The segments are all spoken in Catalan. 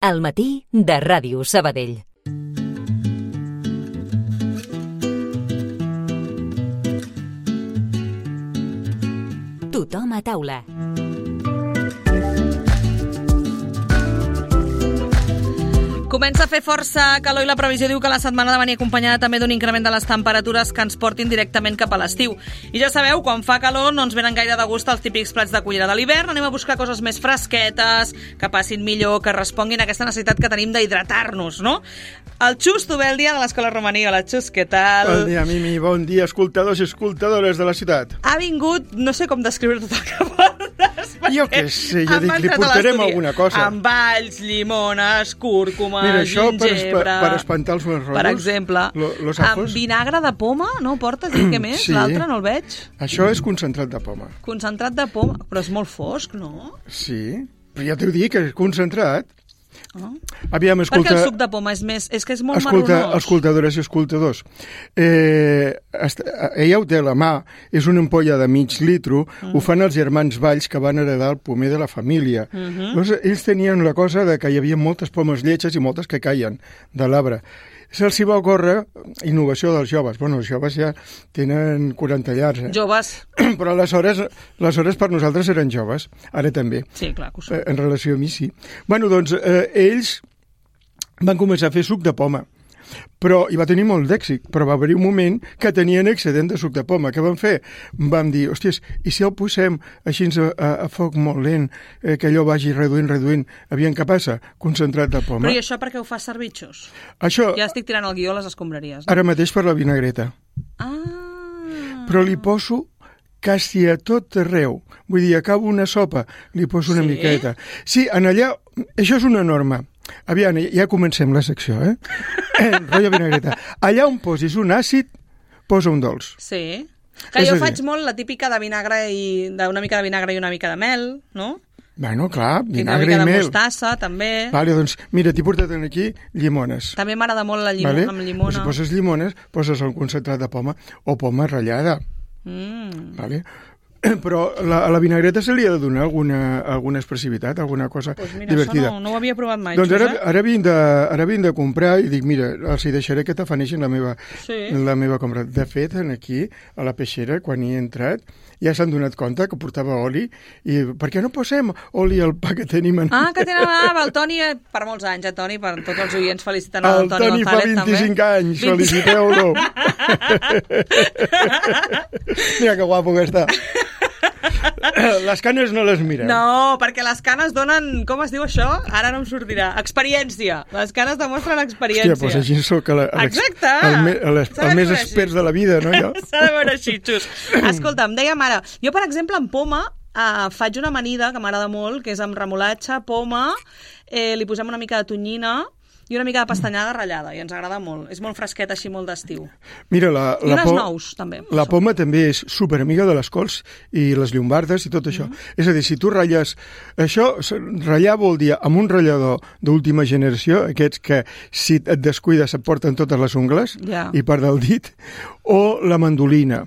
Al matí de Ràdio Sabadell. Tothom a taula. Comença a fer força calor i la previsió diu que la setmana ha de venir acompanyada també d'un increment de les temperatures que ens portin directament cap a l'estiu. I ja sabeu, quan fa calor no ens venen gaire de gust els típics plats de cullera de l'hivern, anem a buscar coses més fresquetes, que passin millor, que responguin a aquesta necessitat que tenim d'hidratar-nos, no? El Xus, tu ve el dia de l'Escola Romaní. Hola, Xus, què tal? Bon dia, Mimi, bon dia, escoltadors i escoltadores de la ciutat. Ha vingut, no sé com descriure tot el que portes. Jo què sé, jo dic, li portarem alguna cosa. Amb alls, llimones, cúrcuma, mira, això gingebre... per espantar els meus rotllos. Per exemple, amb vinagre de poma, no ho portes? I què més? Sí. L'altre no el veig. Això és concentrat de poma. Concentrat de poma, però és molt fosc, no? Sí, però ja t'ho dic, que és concentrat. Oh. Aviam, escolta... Perquè el suc de poma és més... És que és molt marronós. Escoltadores i escoltadors, ella ho té a la mà, és una ampolla de mig litro, ho fan els germans Valls que van heredar el pomer de la família. Llavors, ells tenien la cosa de que hi havia moltes pomes lletges i moltes que caien de l'arbre. Se'ls va ocórrer innovació dels joves. Bueno, els joves ja tenen 40 llars. Joves. Però aleshores per nosaltres eren joves. Ara també. Sí, clar que ho són. En relació a mi, sí. Bueno, doncs, ells van començar a fer suc de poma. Però hi va tenir molt d'èxit, però va haver-hi un moment que tenien excedent de suc de poma. Què van fer? Vam dir, hòsties, i si el posem així a foc molt lent, que allò vagi reduint, aviam què passa? Concentrat de poma. Però i això per què ho fas servir, Xus? Això... Ja estic tirant el guió a les escombraries. No? Ara mateix per la vinagreta. Ah! Però li poso quasi a tot arreu. Vull dir, acabo una sopa, li poso una miqueta. Sí, en allà... Això és una norma. Aviam, ja comencem la secció, rotllo vinagreta. Allà on posis un àcid, posa un dolç. Sí. Que jo faig molt la típica de vinagre una mica de vinagre i una mica de mel, no? Bueno, clar, vinagre i mel. Una mica de mostassa, també. Vale, doncs, mira, t'he portat aquí llimones. També m'agrada molt la llimona, amb llimona. Si poses llimones, poses el concentrat de poma o poma ratllada. Vale? Però a la vinagreta se li ha de donar alguna expressivitat, alguna cosa divertida. Això no ho havia provat mai. Doncs ara vinc de comprar i dic, mira, els hi deixaré que t'afaneixin la meva compra. De fet, aquí, a la peixera, quan hi he entrat, ja s'han donat compte que portava oli i per què no posem oli al pa que tenim? Que tenen el Toni per molts anys, Toni, per tots els oients felicitant el Toni González, també. El Toni fa 25 anys, feliciteu-lo. Mira que guapo que està. Les canes no les mireu. No, perquè les canes donen... Com es diu això? Ara no em sortirà. Experiència. Les canes demostren experiència. Hòstia, doncs així sóc el més expert de la vida, no? S'ha de veure així, Xus. Escolta, em dèiem ara... Jo, per exemple, en poma faig una amanida que m'agrada molt, que és amb remolatxa, poma, li posem una mica de tonyina i una mica de pastanyada ratllada, i ens agrada molt. És molt fresqueta, així, molt d'estiu. Mira, I unes nous, també. La poma també és superamiga de les cols i les llombardes i tot això. És a dir, si tu ratlles... Això, ratllar vol dir amb un ratllador d'última generació, aquests que si et descuides et porten totes les ungles i part del dit, o la mandolina.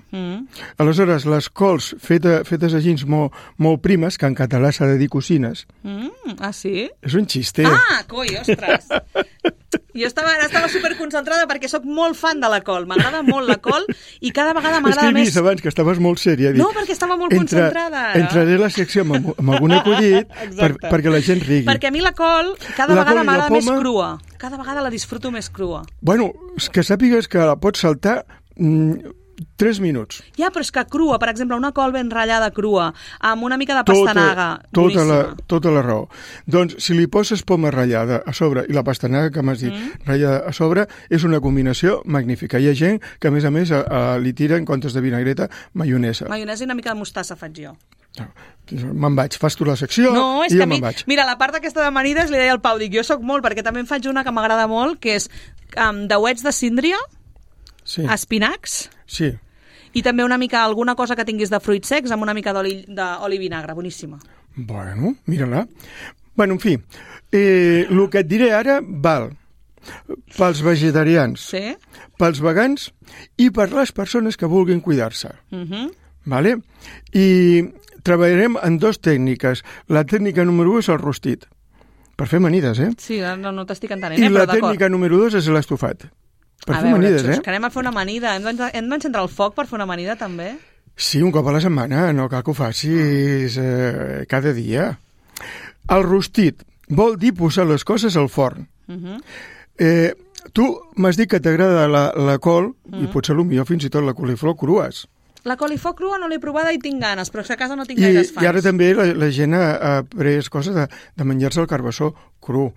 Aleshores, les cols fetes així molt primes, que en català s'ha de dir cocines. Sí? És un xiste. Coi, ostres! Jo estava superconcentrada perquè sóc molt fan de la col. M'agrada molt la col i cada vegada m'agrada més... És que he vist abans que estaves molt sèria. No, perquè estava molt concentrada. Entraré a la secció amb algun acudit perquè la gent rigui. Perquè a mi la col cada vegada m'agrada més crua. Cada vegada la disfruto més crua. Bueno, que sàpigues que la pots saltar 3 minuts. Ja, però és que crua, per exemple, una col ben ratllada crua, amb una mica de pastanaga, boníssima. Tota la raó. Doncs, si li poses poma ratllada a sobre i la pastanaga que m'has dit ratllada a sobre, és una combinació magnífica. Hi ha gent que, a més, li tira, en comptes de vinagreta, maionesa. Maionesa i una mica de mostassa faig jo. Me'n vaig, fas tu la secció i jo me'n vaig. Mira, la part aquesta d'amanides li deia al Pau, dic, jo soc molt, perquè també en faig una que m'agrada molt, que és dauets de síndria, espinacs, i també una mica, alguna cosa que tinguis de fruits secs amb una mica d'oli i vinagre, boníssima. Bueno, mira-la. Bueno, en fi, el que et diré ara val pels vegetarians, pels vegans i per les persones que vulguin cuidar-se. Vale? I treballarem en 2 tècniques. La tècnica número 1 és el rostit. Per fer amanides, Sí, no t'estic entenent, I però la tècnica número 2 és l'estofat. Per fer amanides, Xus, que anem a fer una amanida. Hem d'encendre el foc per fer una amanida, també? Sí, un cop a la setmana, no cal que ho facis cada dia. El rostit vol dir posar les coses al forn. Tu m'has dit que t'agrada la col, i potser potser fins i tot la coliflor crues. La coliflor crua no l'he provada i tinc ganes, però a casa no tinc gaires fans. I ara també la gent ha pres coses de menjar-se el carbassó cru.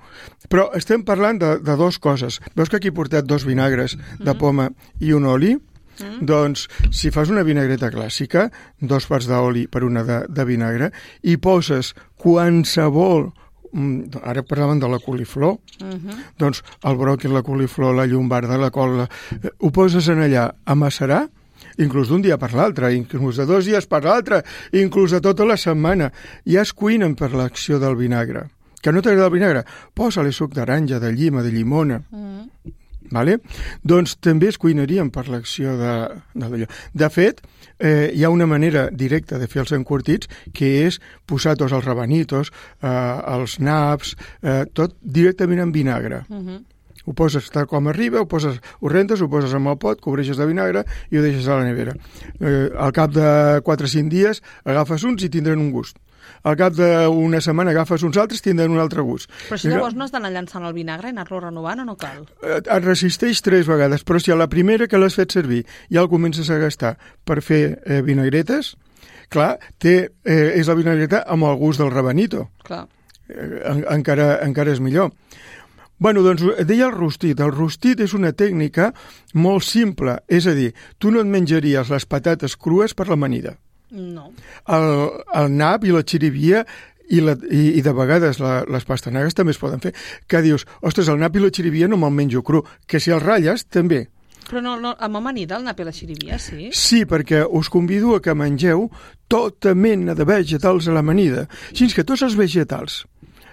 Però estem parlant de dues coses. Veus que aquí he portat 2 vinagres de poma i un oli? Doncs, si fas una vinagreta clàssica, 2 parts d'oli per una de vinagre, i poses qualsevol, ara parlàvem de la coliflor, doncs el bròquil, la coliflor, la llombarda, la col, ho poses en allà a macerar, inclús d'un dia per l'altre, inclús de 2 dies per l'altre, inclús de tota la setmana. Ja es cuinen per l'acció del vinagre. Que no t'agrada el vinagre? Posa-li suc d'aranja, de llima, de llimona. Vale? Doncs també es cuinarien per l'acció d'allò. De fet, hi ha una manera directa de fer els encurtits, que és posar tots els rabanitos, els naps, tot directament en vinagre. Ho poses tal com arriba, ho rentes, ho poses en el pot, cobreixes de vinagre i ho deixes a la nevera. Al cap de 4 o 5 dies agafes uns i tindran un gust. Al cap d'una setmana agafes uns altres i tindran un altre gust. Però si llavors no has d'anar llançant el vinagre i anar-lo renovant o no cal? Et resisteix 3 vegades, però si a la primera que l'has fet servir ja el comences a gastar per fer vinagretes, clar, és la vinagreta amb el gust del rabanito. Clar. Encara és millor. Bueno, doncs deia el rostit. El rostit és una tècnica molt simple, és a dir, tu no et menjaries les patates crues per l'amanida. No. El nap i la xirivia i de vegades les pastanagues també es poden fer. Que dius, ostres, el nap i la xirivia no me'l menjo cru, que si el ratlles també. Però no, amb amanida el nap i la xirivia, sí? Sí, perquè us convido a que mengeu tota mena de vegetals a l'amanida. Així que tots els vegetals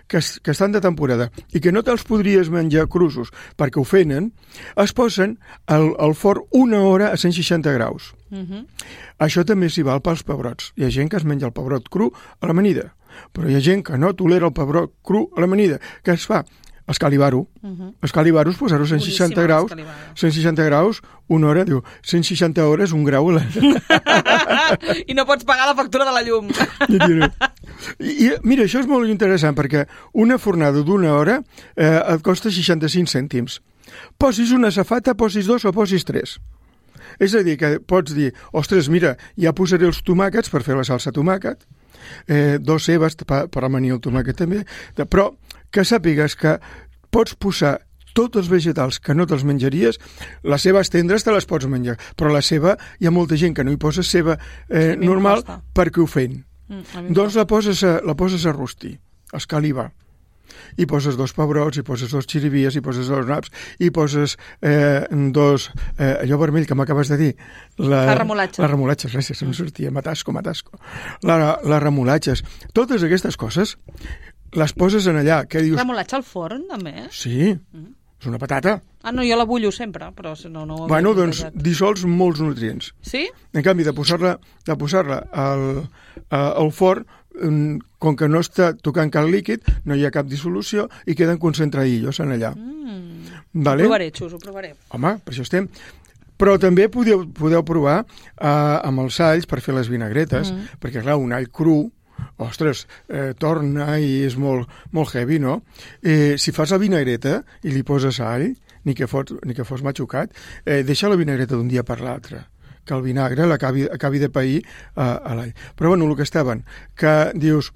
que estan de temporada i que no te'ls podries menjar cruços perquè ofenen, es posen al forn 1 hora a 160 graus. Això també s'hi val pels pebrots. Hi ha gent que es menja el pebrot cru a l'amanida, però hi ha gent que no tolera el pebrot cru a l'amanida. Què es fa? Escalivar-ho. Escalivar-ho és posar-ho a 160 graus. 160 graus, 1 hora, diu, 160 hores, 1 grau. I no pots pagar la factura de la llum. I mira, això és molt interessant perquè una fornada d'1 hora et costa 65 cèntims. Posis una safata, posis 2 o posis 3. És a dir, que pots dir, ostres, mira, ja posaré els tomàquets per fer la salsa tomàquet, 2 cebes per amanir el tomàquet també, però que sàpigues que pots posar tots els vegetals que no te'ls menjaries, les cebes tendres te les pots menjar, però la ceba, hi ha molta gent que no hi posa ceba normal perquè ho feien. Doncs la poses a rostir, a escalivar. I poses 2 pebrots, i poses 2 xirivies, i poses 2 naps, i poses 2... allò vermell que m'acabes de dir. La remolatxa. La remolatxa, gràcies, em sortia. Matasco. Les remolatxes. Totes aquestes coses les poses en allà. Què dius? Remolatxa al forn, també? Sí, és una patata. No, jo la bullo sempre, però si no... Bueno, doncs dissols molts nutrients. Sí? En canvi, de posar-la al forn, com que no està tocant cap líquid, no hi ha cap dissolució i queden concentradillos en allà. Vale? Ho provaré, Xus, ho provaré. Home, per això estem. Però també podeu provar amb els alls per fer les vinagretes, perquè, clar, un all cru, ostres, torna i és molt, molt heavy, no? Si fas la vinagreta i li poses all, ni que fos matxucat, deixa la vinagreta d'un dia per l'altre, que el vinagre acabi de pair a l'all. Però, bueno, el que estaven, que dius,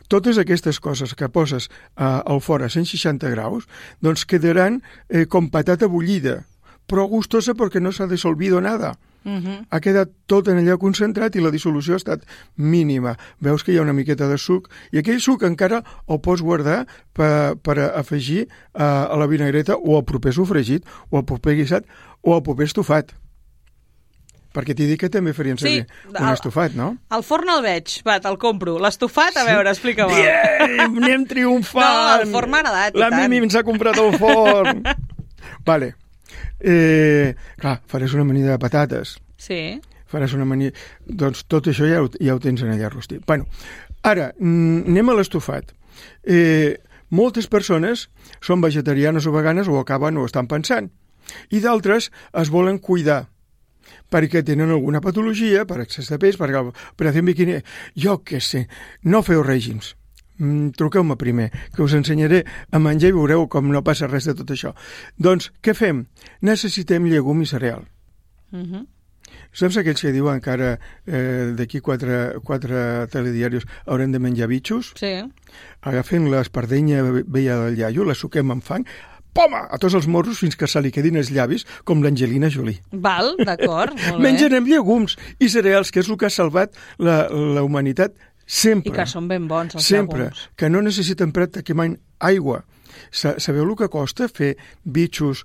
totes aquestes coses que poses al forn a 160 graus, doncs quedaran com patata bullida, però gustosa perquè no s'ha dissolvido nada. Ha quedat tot en allà concentrat i la dissolució ha estat mínima. Veus que hi ha una miqueta de suc i aquell suc encara el pots guardar per afegir a la vinagreta o al proper sofregit o al proper guisat o al proper estofat. Perquè t'he dit que també farien servir un estofat, no? El forn el veig, va, te'l compro. L'estofat, a veure, explica'm. Anem triomfant! No, el forn m'ha agradat. La Mimi ens ha comprat el forn. Vale. Clar, faràs una amanida de patates. Sí. Faràs una amanida... Doncs tot això ja ho tens en allà rostit. Bueno, ara, anem a l'estofat. Moltes persones són vegetarianes o veganes o acaben o estan pensant. I d'altres es volen cuidar perquè tenen alguna patologia, per excés de pes, per operació en biquini. Jo què sé, no feu règims. Truqueu-me primer, que us ensenyaré a menjar i veureu com no passa res de tot això. Doncs, què fem? Necessitem llegum i cereal. Saps aquells que diuen que ara d'aquí quatre telediaris haurem de menjar bitxos? Sí. Agafen l'espardenya vella del iaio, la suquem amb fang, poma, a tots els morros fins que se li quedin els llavis, com l'Angelina Jolie. Val, d'acord, molt bé. Mengen amb llegums i cereals, que és el que ha salvat la humanitat sempre. I que són ben bons, els sempre, llegums. que no necessiten pràcticament aigua. Sabeu el que costa fer bitxos,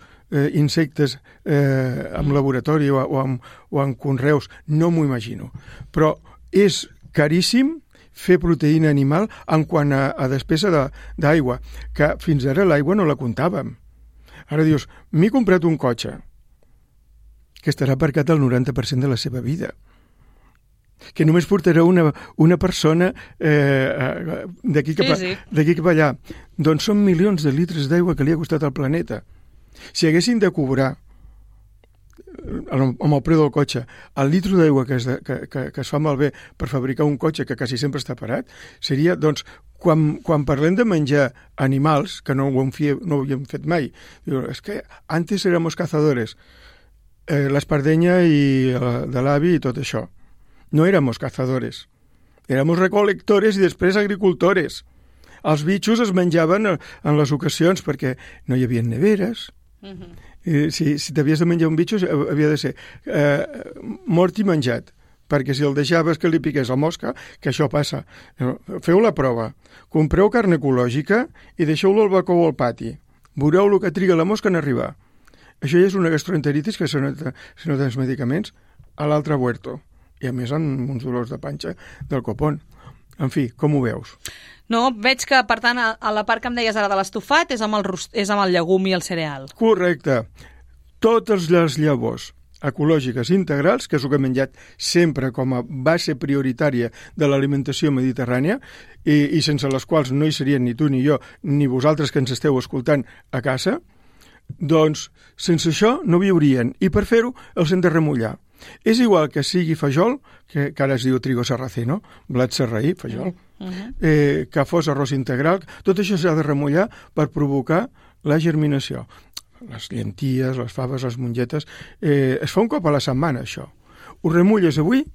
insectes en laboratori o en conreus? No m'ho imagino. Però és caríssim fer proteïna animal en quant a despesa d'aigua, que fins ara l'aigua no la comptàvem. Ara dius, m'he comprat un cotxe que estarà aparcat el 90% de la seva vida, que només portarà una persona d'aquí cap allà. Doncs són milions de litres d'aigua que li ha costat al planeta. Si haguessin de cobrar amb el preu del cotxe el litro d'aigua que es fa malbé per fabricar un cotxe que quasi sempre està parat, seria, doncs, quan parlem de menjar animals, que no ho havíem fet mai, és que antes éramos cazadores, l'espardenya de l'avi i tot això. No éramos cazadores, éramos recolectores i després agricultores. Els bitxos es menjaven en les ocasions perquè no hi havia neveres. Si t'havies de menjar un bitxo havia de ser mort i menjat, perquè si el deixaves que li piqués la mosca, que això passa, feu la prova, compreu carn ecològica i deixeu-lo al balcó o al pati, veureu el que triga la mosca en arribar. Això ja és una gastroenteritis que si no tens medicaments a l'altre huerto, i a més amb uns dolors de panxa del copón. En fi, com ho veus? No, veig que, per tant, a la part que em deies ara de l'estofat és amb el llegum i el cereal. Correcte. Totes les llavors ecològiques integrals, que és el que he menjat sempre com a base prioritària de l'alimentació mediterrània i sense les quals no hi serien ni tu ni jo, ni vosaltres que ens esteu escoltant a casa, doncs sense això no viurien. I per fer-ho els hem de remullar. És igual que sigui fajol, que ara es diu trigo sarraceno, blat sarraí, fajol, que fos arròs integral, tot això s'ha de remullar per provocar la germinació. Les llenties, les faves, les mongetes, es fa un cop a la setmana, això. Ho remulles avui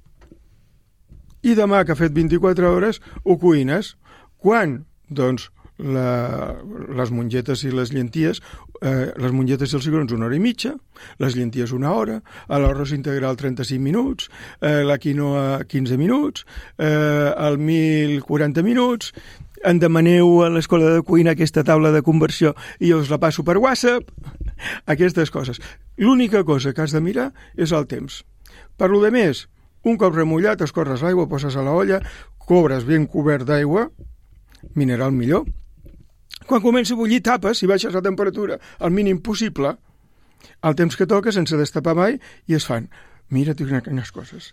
i demà, que ha fet 24 hores, ho cuines. Quan? Doncs les mongetes i les llenties, les mongetes i els cigrons 1 hora i mitja, les llenties 1 hora, l'arròs integral 35 minuts, la quinoa 15 minuts, el mil 40 minuts. Em demaneu a l'escola de cuina aquesta taula de conversió i jo us la passo per WhatsApp. Aquestes coses. L'única cosa que has de mirar és el temps. Per lo de més, un cop remullat, escorres l'aigua, poses a la olla, cobres ben cobert d'aigua, mineral millor. Quan comença a bullir, tapes i baixes la temperatura al mínim possible, el temps que toca sense destapar mai, i es fan. Mira, quines coses.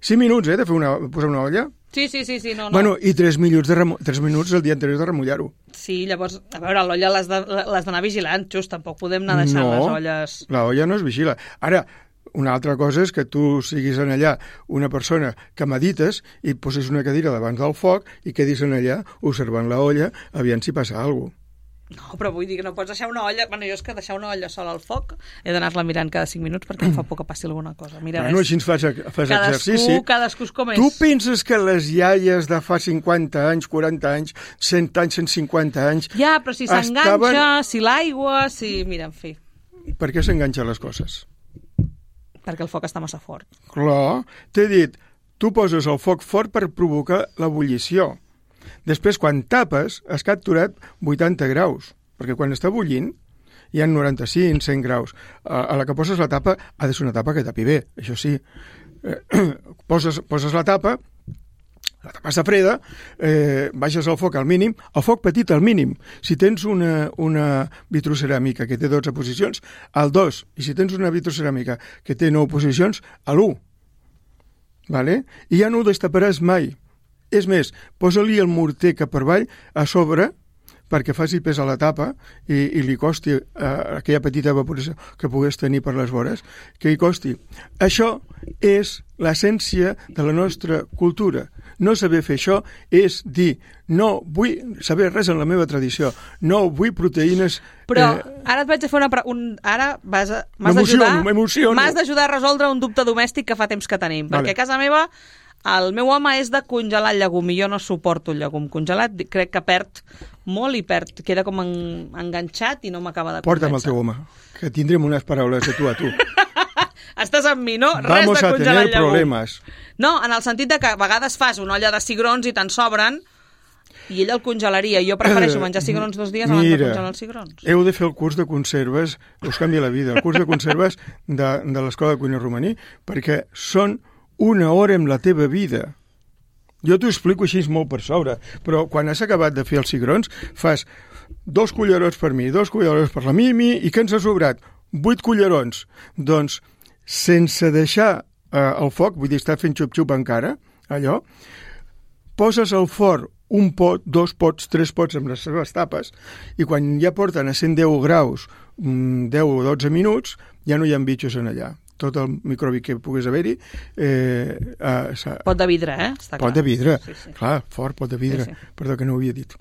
5 minuts, de posar una olla. Sí, no. Bueno, i 3 minuts el dia anterior de remullar-ho. Sí, llavors, a veure, l'olla l'has d'anar vigilant, just, tampoc podem anar deixant les olles... No, l'olla no es vigila. Ara, una altra cosa és que tu siguis en allà una persona que medites i posis una cadira davant del foc i quedis en allà observant la olla, aviam si passa alguna cosa. No, però vull dir que no pots deixar una olla... Bueno, jo és que deixar una olla sola al foc he d'anar-la mirant cada 5 minuts perquè em fa por que passi alguna cosa. Mira, bueno, així fas exercici. Cadascú com és. Tu penses que les iaies de fa 50 anys, 40 anys, 100 anys, 150 anys... Ja, però si s'enganxa, si l'aigua, si... Mira, en fi. Per què s'enganxen les coses? Perquè el foc està massa fort. Clar, t'he dit, tu poses el foc fort per provocar l'ebullició. Després, quan tapes, has capturat 80 graus, perquè quan està bullint hi ha 95, 100 graus. A la que poses la tapa, ha de ser una tapa que tapi bé, això sí. Poses la tapa està freda, baixes el foc al mínim, el foc petit al mínim. Si tens una vitroceràmica que té 12 posicions, al 2. I si tens una vitroceràmica que té 9 posicions, a l'1. Vale? I ja no ho destaparàs mai. És més, posa-li el morter cap per avall a sobre perquè faci pes a la tapa i li costi aquella petita evaporació que pogués tenir per les vores, que hi costi. Això és l'essència de la nostra cultura. No saber fer això és dir, no vull saber res en la meva tradició, no vull proteïnes... Però ara et vaig a fer ara m'has d'ajudar a resoldre un dubte domèstic que fa temps que tenim, perquè a casa meva el meu home és de congelar el llegum i jo no suporto el llegum congelat, crec que perd molt i queda com enganxat i no m'acaba de convèncer. Porta'm el teu home, que tindrem unes paraules de tu a tu. Estàs amb mi, no? Res Vamos de a congelar tener el llegum. problemes. No, en el sentit de que a vegades fas una olla de cigrons i te'n sobren i ell el congelaria. Jo prefereixo menjar cigrons 2 dies abans de congelar els cigrons. Heu de fer el curs de conserves, us canvia la vida, el curs de conserves de l'Escola de Cuina Romaní, perquè són 1 hora en la teva vida. Jo t'ho explico així molt per sobre, però quan has acabat de fer els cigrons, fas 2 cullerons per mi, 2 cullerons per la Mimi, i què ens ha sobrat? 8 cullerons. Doncs, sense deixar el foc, vull dir, estar fent xup-xup encara, allò, poses al forn 1 pot, 2 pots, 3 pots amb les seves tapes, i quan ja porten a 110 graus 10 o 12 minuts, ja no hi ha bitxos en allà. Tot el microbi que pogués haver-hi... pot de vidre, està clar. Pot de vidre, sí, sí. Clar, fort pot de vidre. Sí, sí. Perdó, que no ho havia dit.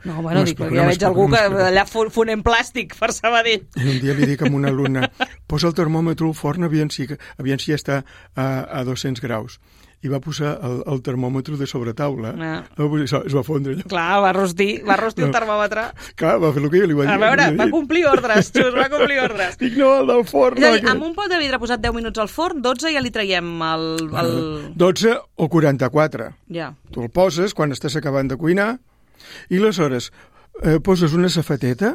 No, bueno, dic, ja veig algú que allà fonent plàstic per Sabadell. I un dia li dic a una alumna, posa el termòmetre al forn, aviam si ja està a 200 graus. I va posar el termòmetre de sobretaula. Es va fondre allò. Clar, va rostir el termòmetre. Clar, va fer el que jo li vaig dir. A veure, va complir ordres, Xus, va complir ordres. Dic, no, el del forn. És a dir, amb un pot de vidre posat 10 minuts al forn, 12 ja li traiem el... 12 o 44. Ja. Tu el poses quan estàs acabant de cuinar i aleshores poses una safateta,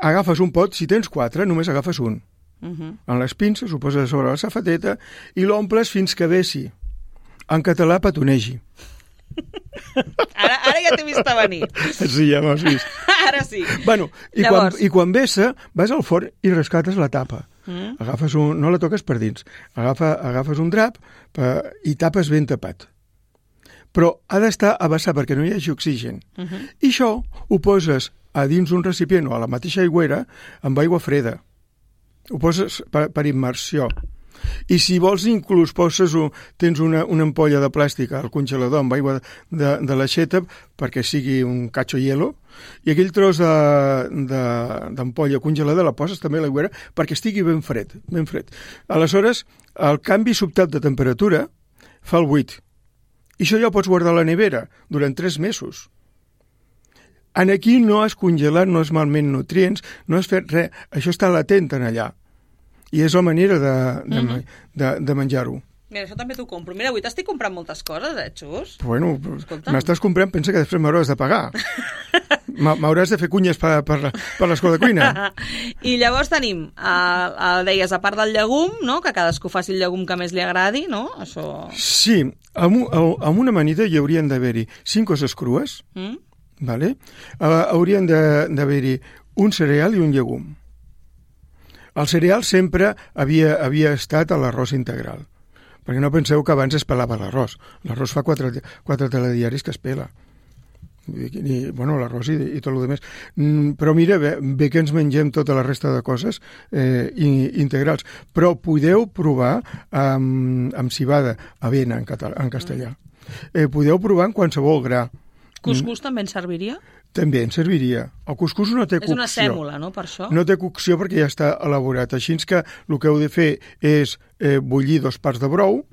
agafes un pot, si tens 4, només agafes un. En les pinces ho poses sobre la safateta i l'omples fins que vessi. En català, petonegi. Ara ja t'he vist a venir. Sí, ja m'has vist. Ara sí. Bueno, i quan vessa, vas al forn i rescates la tapa. Agafes no la toques per dins. Agafes un drap i tapes ben tapat. Però ha d'estar a vessar perquè no hi hagi oxigen. I això ho poses a dins un recipient o a la mateixa aigüera amb aigua freda. Ho poses per immersió. I si vols inclús tens una ampolla de plàstic al congelador amb aigua de l'aixeta perquè sigui un cacho hielo i aquell tros d'ampolla congelada la poses també a l'aigüera perquè estigui ben fred. Aleshores, el canvi sobtat de temperatura fa el buit. I això ja ho pots guardar a la nevera durant 3 mesos. Aquí no has congelat, no has malment nutrients, no has fet res. Això està latent en allà. I és la manera de menjar-ho. Mira, això també t'ho compro. Mira, avui t'estic comprant moltes coses, Xus? Bueno, m'estàs comprant, pensa que després m'hauràs de pagar. M'hauràs de fer cunyes per l'escola de cuina. I llavors tenim, deies, a part del llegum, no? Que cadascú faci el llegum que més li agradi, no? Això... Sí, amb una amanida hi haurien d'haver-hi 5 coses crues, vale? Haurien d'haver-hi un cereal i un llegum. El cereal sempre havia estat a l'arròs integral, perquè no penseu que abans es pelava l'arròs. L'arròs fa 4 telediaris que es pela. Bueno, l'arròs i tot el demés. Però mira, bé que ens mengem tota la resta de coses integrals. Però podeu provar amb cibada, avena en castellà. Podeu provar en qualsevol gra. Cuscús també en serviria? També en serviria. El cuscús no té cocció. És una sèmola, no, per això? No té cocció perquè ja està elaborat. Així que el que heu de fer és bullir 2 parts de brou,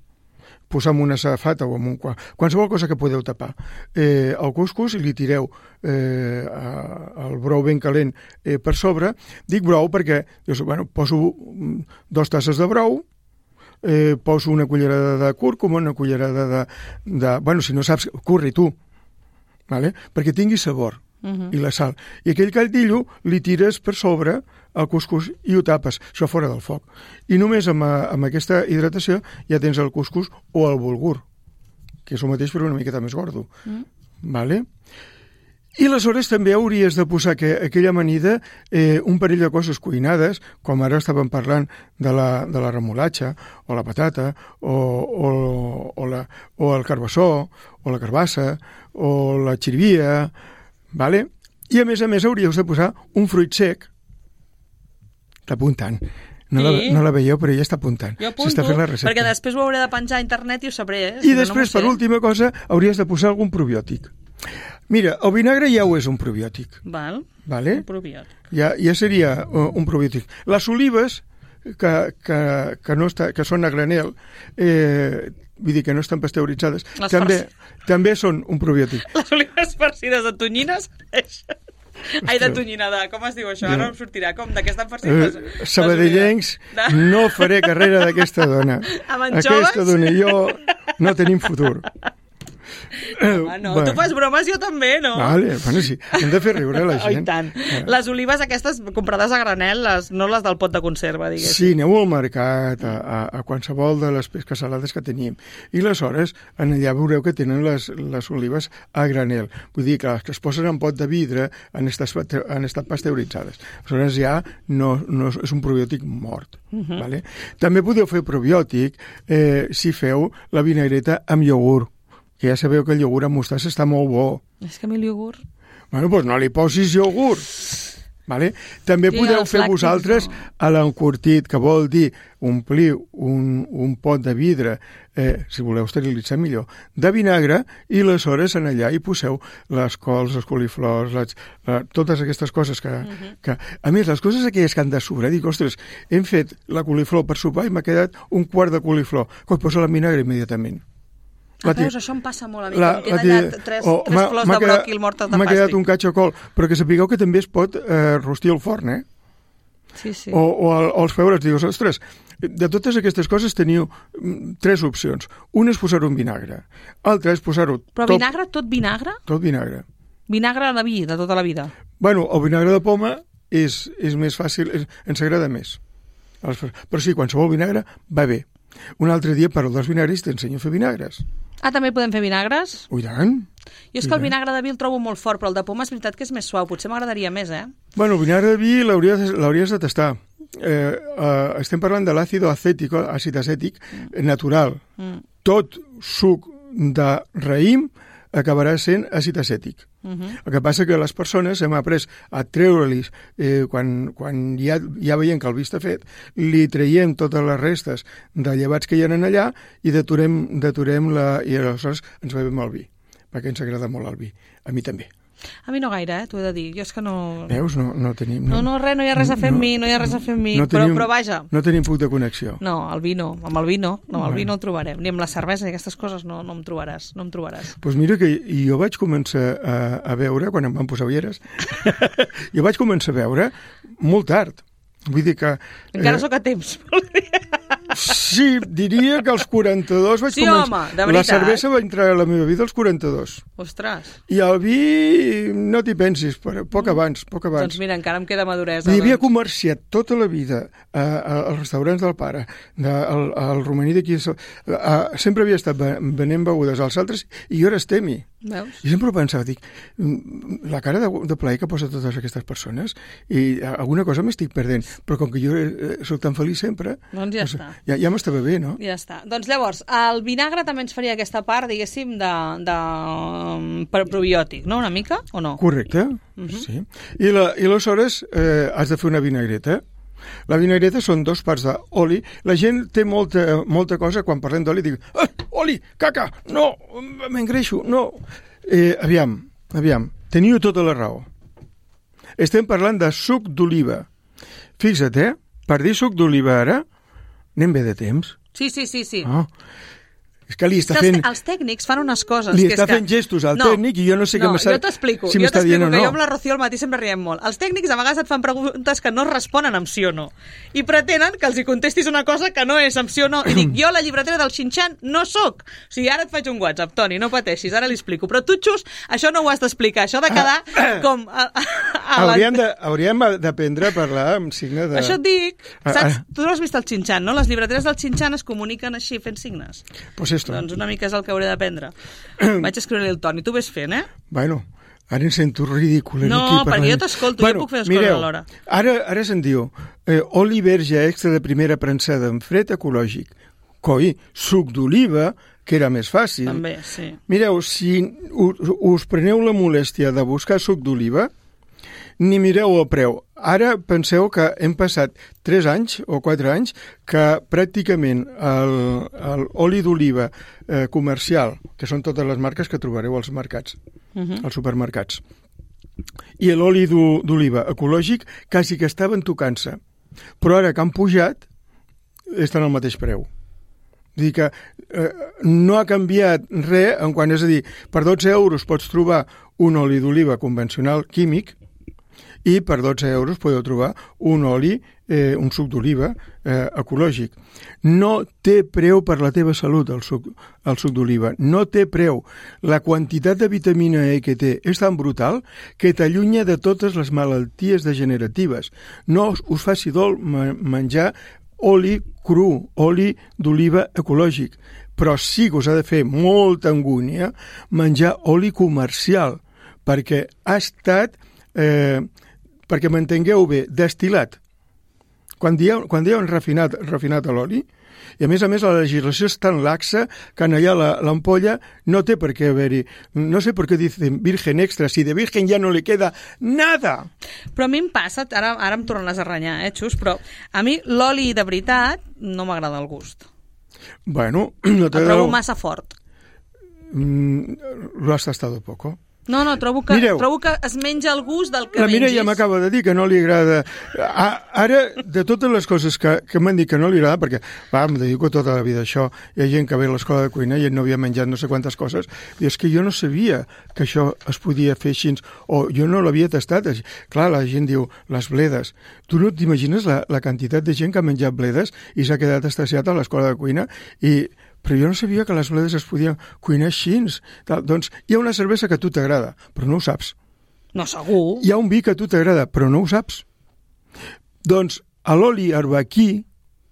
posar en una safata o en qualsevol cosa que podeu tapar. El cuscús i li tireu el brou ben calent per sobre. Dic brou perquè poso 2 tasses de brou, poso una cullerada de cúrcuma, una cullerada de... si no saps, curri tu, vale? Perquè tingui sabor. I la sal. I aquell caldillo li tires per sobre el cuscús i ho tapes, això fora del foc. I només amb aquesta hidratació ja tens el cuscús o el bulgur, que és el mateix però una miqueta més gordo. Vale? I aleshores també hauries de posar aquella amanida un parell de coses cuinades, com ara estàvem parlant de la remolatxa, o la patata, o el carbassó, o la carbassa, o la xirivia, vale? I a més hauríeu de posar un fruit sec. Està apuntant. No la veieu, però ja està apuntant. Jo apunto, perquè després ho hauré de penjar a internet i ho sabré. I després, per última cosa, hauries de posar algun probiòtic. Mira, el vinagre ja ho és un probiòtic. Vale? Un probiòtic. Ja seria un probiòtic. Les olives, que són a granel, vull dir que no estan pasteuritzades, també són un probiòtic. Les olives farcides de tonyines? Ai, de tonyina, com es diu això? Ara em sortirà. Com? De què estan farcides? Sabadellencs, no faré carrera d'aquesta dona. Amb anxoves? Aquesta dona i jo no tenim futur. Tu fas bromes, jo també, no? Vale, bueno, sí, hem de fer riure la gent. I tant. Les olives aquestes comprades a granel, no les del pot de conserva, diguéssim. Sí, aneu al mercat, a qualsevol de les pesques salades que tenim. I aleshores, allà veureu que tenen les olives a granel. Vull dir que les que es posen en pot de vidre han estat pasteuritzades. Aleshores ja no és un probiòtic mort. Vale? També podeu fer probiòtic si feu la vinagreta amb iogurt, que ja sabeu que el iogurt amb mostassa està molt bo. És que a mi el iogurt... Bueno, doncs no li posis iogurt. Vale? També podeu fer vosaltres a l'encurtit, que vol dir omplir un pot de vidre, si voleu esterilitzar millor, de vinagre, i aleshores en allà hi poseu les cols, els coliflors, totes aquestes coses que... A més, les coses aquelles que han de sobrar, dic, ostres, hem fet la coliflor per sopar i m'ha quedat un quart de coliflor, que posa la vinagre immediatament. Veus, això em passa molt a mi, que em queda allà tres flors de bròquil mortes de fàstic. M'ha quedat un catxacol, però que sapigueu que també es pot rostir al forn, Sí, sí. O els feures, digues, ostres, de totes aquestes coses teniu 3 opcions. Una és posar-ho en vinagre, l'altra és posar-ho... Però vinagre, tot vinagre? Tot vinagre. Vinagre de vi, de tota la vida? Bueno, el vinagre de poma és més fàcil, ens agrada més. Però sí, qualsevol vinagre va bé. Un altre dia, per als vinagres, t'ensenyo a fer vinagres. Ah, també podem fer vinagres? I tant. Jo és que el vinagre de vi el trobo molt fort, però el de poma és veritat que és més suau. Potser m'agradaria més, Bueno, el vinagre de vi l'hauries de tastar. Estem parlant de l'àcid acètic natural. Tot suc de raïm acabarà sent àcid acètic. El que passa que les persones hem après a treure-li's quan ja veiem que el vi està fet, li traiem totes les restes de llevats que hi ha allà i deturem i aleshores ens bevem el vi, perquè ens agrada molt el vi. A mi també. A mi no gaire, t'ho he de dir. Jo és que no... Veus? No tenim... No hi ha res a fer amb mi, però vaja. No tenim punt de connexió. No, el vi no. Amb el vi no. No, el vi no el trobarem. Ni amb la cervesa ni aquestes coses no em trobaràs. Doncs mira que jo vaig començar a veure, quan em van posar ulleres, jo vaig començar a veure molt tard. Vull dir que... Encara sóc a temps, vol dir. Sí, diria que als 42 vaig començar... Sí, home, de veritat. La cervesa va entrar a la meva vida als 42. Ostres. I el vi, no t'hi pensis, però poc abans. Doncs mira, encara em queda maduresa. I havia comerciat tota la vida als restaurants del pare, al romaní d'aquí... Sempre havia estat venent begudes als altres i jo era estemi. Veus? I sempre pensava, dic, la cara de plaer que posa totes aquestes persones i alguna cosa m'estic perdent, però com que jo soc tan feliç sempre... Doncs ja està. Ja m'estava bé, no? Ja està. Doncs llavors, el vinagre també ens faria aquesta part, diguéssim, de probiòtic, no? Una mica, o no? Correcte, sí. I aleshores has de fer una vinagreta. La vinagreta són 2 parts d'oli. La gent té molta cosa, quan parlem d'oli, diu, oli, caca, no, m'engreixo, no. Aviam, teniu tota la raó. Estem parlant de suc d'oliva. Fixa't, per dir suc d'oliva ara, anem bé de temps. Sí. Oh. És que li està fent... Els tècnics fan unes coses... Li està fent gestos al tècnic i jo no sé què jo t'explico, si m'està dient o no. Jo amb la Rocío al matí sempre riem molt. Els tècnics a vegades et fan preguntes que no responen amb sí o no. I pretenen que els hi contestis una cosa que no és amb sí o no. I dic, jo la llibretera del Xinxan no sóc. O sigui, ara et faig un WhatsApp, Toni, no pateixis, ara li explico. Però tu, Xus, això no ho has d'explicar. Això ha de quedar com... Hauríem d'aprendre a parlar amb signe de... Això et dic. Saps? Tu no has vist el Xinxan, no? Les llibreteres del Xinxan es comuniquen així, fent signes. Pues esto. Doncs una mica és el que hauré d'aprendre. Vaig escriure-li el Toni. Tu ves fent, Bueno, ara em sento ridícul. No, perquè jo t'escolto, jo puc fer les coses alhora. Ara se'n diu oli verge extra de primera premsada en fred ecològic. Coi, suc d'oliva, que era més fàcil. També, sí. Mireu, si us preneu la molèstia de buscar suc d'oliva, ni mireu el preu. Ara penseu que hem passat 3 anys o 4 anys que pràcticament l'oli d'oliva comercial, que són totes les marques que trobareu als mercats, als supermercats, i l'oli d'oliva ecològic quasi que estaven tocant-se. Però ara que han pujat, estan al mateix preu. Vull dir que no ha canviat res en quant, és a dir, per 12 euros pots trobar un oli d'oliva convencional químic i per 12 euros podeu trobar un oli, un suc d'oliva ecològic. No té preu per la teva salut el suc d'oliva, no té preu. La quantitat de vitamina E que té és tan brutal que t'allunya de totes les malalties degeneratives. No us faci dol menjar oli cru, oli d'oliva ecològic, però sí que us ha de fer molta angúnia menjar oli comercial, perquè ha estat, perquè m'entengueu bé, destil·lat. Quan diuen refinat a l'oli, i a més la legislació és tan laxa que allà l'ampolla no té per què haver-hi. No sé per què dicen virgen extra, si de virgen ja no li queda nada. Però a mi em passa, ara em tornes a renyar, Xus, però a mi l'oli de veritat no m'agrada el gust. Bueno, no el trobo massa fort. Lo has tastado poco. No, trobo que es menja el gust del que mengis. La Mireia m'acaba de dir que no li agrada. Ara, de totes les coses que m'han dit que no li agrada, perquè em dedico tota la vida a això, hi ha gent que ve a l'escola de cuina i no havia menjat no sé quantes coses, i és que jo no sabia que això es podia fer així, o jo no l'havia tastat. Clar, la gent diu, les bledes. Tu no t'imagines la quantitat de gent que ha menjat bledes i s'ha quedat estasiat a l'escola de cuina, però jo no sabia que les bledes es podien cuinar així. Doncs hi ha una cervesa que a tu t'agrada, però no ho saps. No, segur. Hi ha un vi que a tu t'agrada, però no ho saps. Doncs l'oli arbequí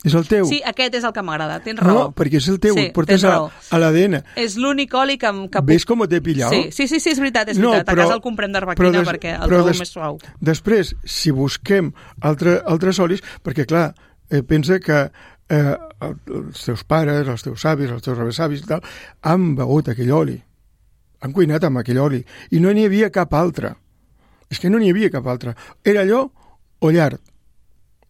és el teu. Sí, aquest és el que m'agrada, tens raó. No, perquè és el teu, sí, portes a l'ADN. És l'únic oli que ¿Ves com t'he pillat? Sí, és veritat. A casa el comprem d'arbequina perquè el trobo més suau. Després, si busquem altres olis, perquè clar, pensa que els teus pares, els teus avis, els teus rebesavis i tal, han begut aquell oli, han cuinat amb aquell oli, i no n'hi havia cap altre. És que no n'hi havia cap altre. Era allò o llard.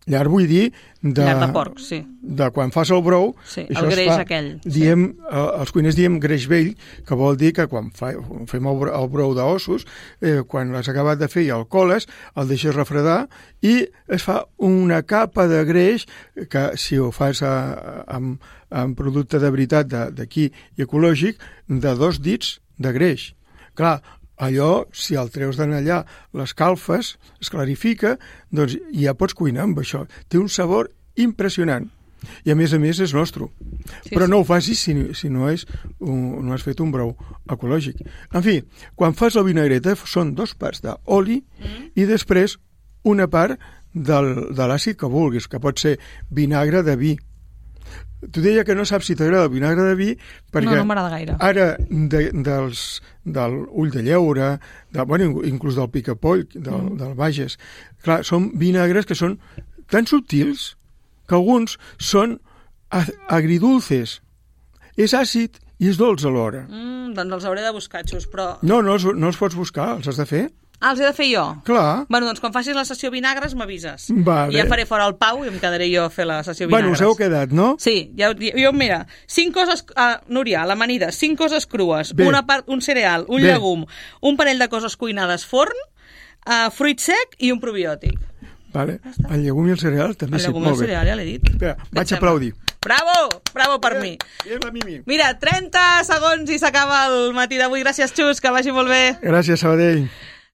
Llard vull dir llard de porc, sí. De quan fas el brou, sí, el greix aquell. Els cuiners diem greix vell, que vol dir que quan fem el brou d'ossos, quan l'has acabat de fer i el coles, el deixes refredar i es fa una capa de greix que si ho fas amb producte de veritat d'aquí i ecològic, de 2 dits de greix. Clar, allò, si el treus d'allà, l'escalfes, es clarifica, doncs ja pots cuinar amb això. Té un sabor impressionant. I a més és nostre. Sí, però no ho facis si no has fet un brou ecològic. En fi, quan fas la vinagreta són 2 parts d'oli i després una part de l'àcid que vulguis, que pot ser vinagre de vi. Tu deia que no saps si t'agrada el vinagre de vi perquè no m'agrada gaire. Ara del ull de lleure, inclús del picapoll, del Bages, clar, són vinagres que són tan subtils que alguns són agridulces. És àcid i és dolç alhora. Doncs els hauré de buscar, Xus, però... No els pots buscar, els has de fer. Els he de fer jo? Clar. Bueno, doncs quan facis la sessió vinagres m'avises. Vale. I ja faré fora el Pau i em quedaré jo a fer la sessió vinagres. Bueno, us heu quedat, no? Sí, jo mira, 5 coses... Núria, a l'amanida, 5 coses crues, un cereal, un llegum, un parell de coses cuinades forn, fruit sec i un probiòtic. Vale. El llegum i el cereal també sí, molt bé. El llegum i el cereal, ja l'he dit. Espera, vaig aplaudir. Bravo per mi. Mira, 30 segons i s'acaba el matí d'avui. Gràcies, Xus, que vagi molt bé. Gràcies, Sabadell.